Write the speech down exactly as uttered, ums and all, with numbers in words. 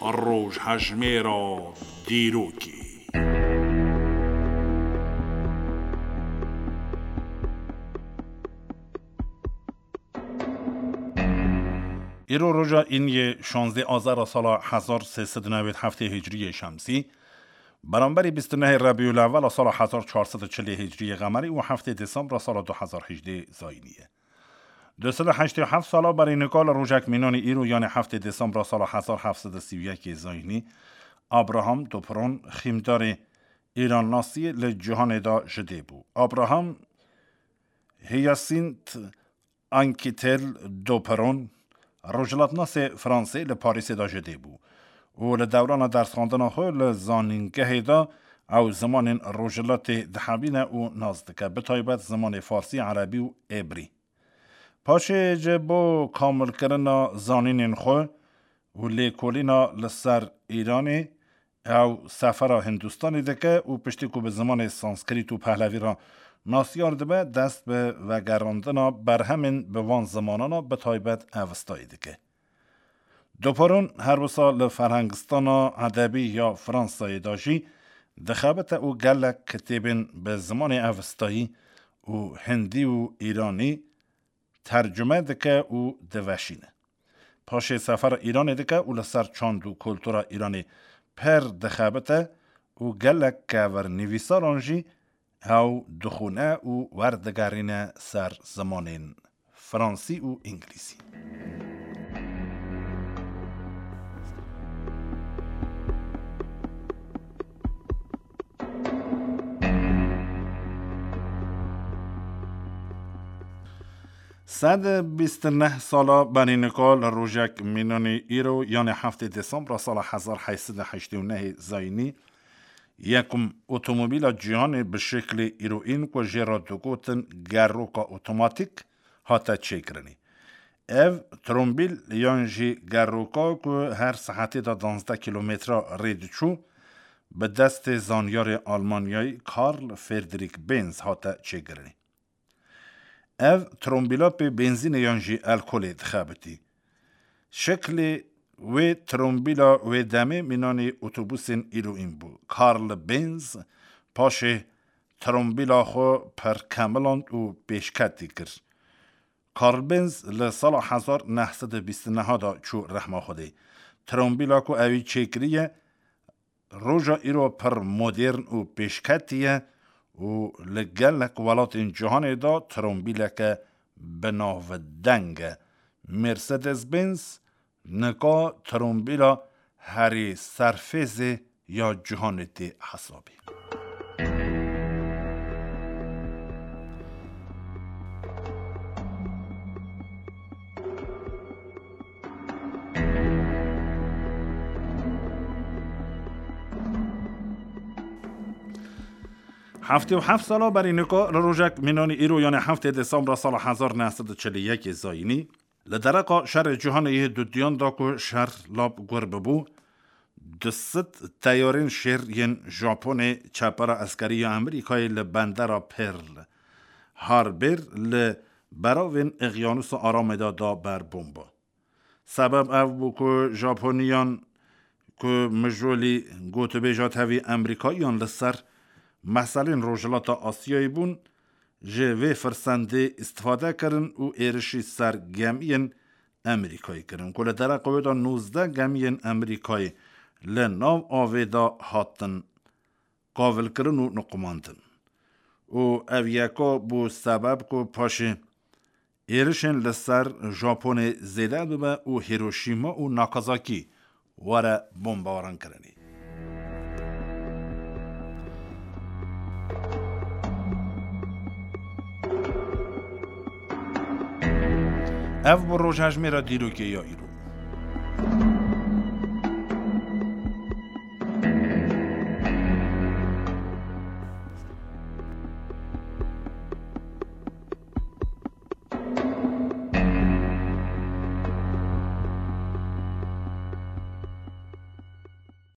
Rojhejmêra dîrokê. Îro roja îniyê şanzdeh Azara sala hezar sê sed û newêd heftê Hicriyê Şemsî, beramberî bîst û nehê Rebîûl Ewwela sala hezar çar sed û çilê Hicriyê Qemerî û heftê Desembra sala du hezar hejdê Zayînî ye. Du sed û heştê û heft sala berî nika li rojek mînanî îro, yanê heftê Desembra sala hezar heft sed û sî û yekê Zayînî, Abraham Doperon, xîmdarê Îrannasî li cîhanê de ji dê bû. Abraham Hyacinthe Anquetil Doperon, rojhilatnasê Fransê, li Parîsê de ji dê bû û li dewrana dersxwendina xwe li zanîngehê de ew zimanên rojhilatê dihebîne û nas dike, bi taybet zimanê farsî, erebî û êbrî. Paşê ji bo kamilkirina zanînên xwe û lêkolîna li ser Îranê, ew sefera Hindistanê dike û piştî ku bi zimanê Sanskrît û Pehlevî re nasiyar dibe, dest bi vegerandina berhemên bi van zimanana, bi taybet Evistayê dike. Doperon her wisa li ferhengistana edebî ya Fransayê de jî dixebite û gelek kitêbên bi zimanê Evistayî û Hindî û Îranî tercume dike û diveşîne. Paşê sefera Îranê dike û li ser çand û kultura Îranê pir dixebite û gelek kevirnivîsaran jî ew dixwîne û werdigerîne ser zimanên fransî û îngilîzî. Sed bîst û neh sala berî nika li rojek mînanî îro, yanê heftê Desembra sala hezar heyt sed û heştê û nehê Zayînî, yekum otomobîla cîhanê bi şeklê îroîn ku jê re digotin geroka otomatîk hate çêkirinê. Ev trombîl yan jî geroka ku her saetê de danzdeh kîlometre rê diçû, bi destê zanyarê Almanyayî Karl Friedrich Benz hate çêkirinê. Ev trombîla pê benzînê yan jî alkolê dixebitî. Şeklê wê trombîla wê demê mînanî otobusên îroîn bû. Karl Benz paşê trombîla xwe pir kemiland û pêşketî kir. Karl Benz li sala hezar neh sed û bîst û neh de çû rehma Xwedê. Trombîla ku ewî çêkiriye, roja îro pir modern û pêşketî ye û li gelek welatên cîhanê de trombîleke binavdeng e. Mercedes-Benz nika trombîla herî serfêzê ya cîhanê tê hesabê. Heftê û heft sala berî nika li rojek mînanî îro, yanê heftê Desembra sala hezar neh sed û çil û yekê Zayînî, li dereqa şerê cîhanê yê dudiyan de ku şer lap gur bibû, du sed teyarên şêr yên Japonê çepera eskerî ya Amerîkayê li bendera Pearl Harbor li beravên Eqyanusa Aramê de da ber bomba. Sebeb ev bû ku Japoniyan ku mijolî gotûbêja tevî Amerîkayiyan li ser meselên Rojhilata Asyayê bûn, ji vê firsendê îstifade kirin û êrişî ser gemiyên Amerîkayê kirin, ku li dereqa wê de nozdeh gemiyên Amerîkayê li nav avê de hatin qavilkirin û niqumandin. Û ev yeka bû sebeb ku paşê êrişên li ser Japonê zêde bibe û Hiroşîma û Nakazakî were bombebarankirinê. Ev bû rojhejmêra dîrokê ya îro.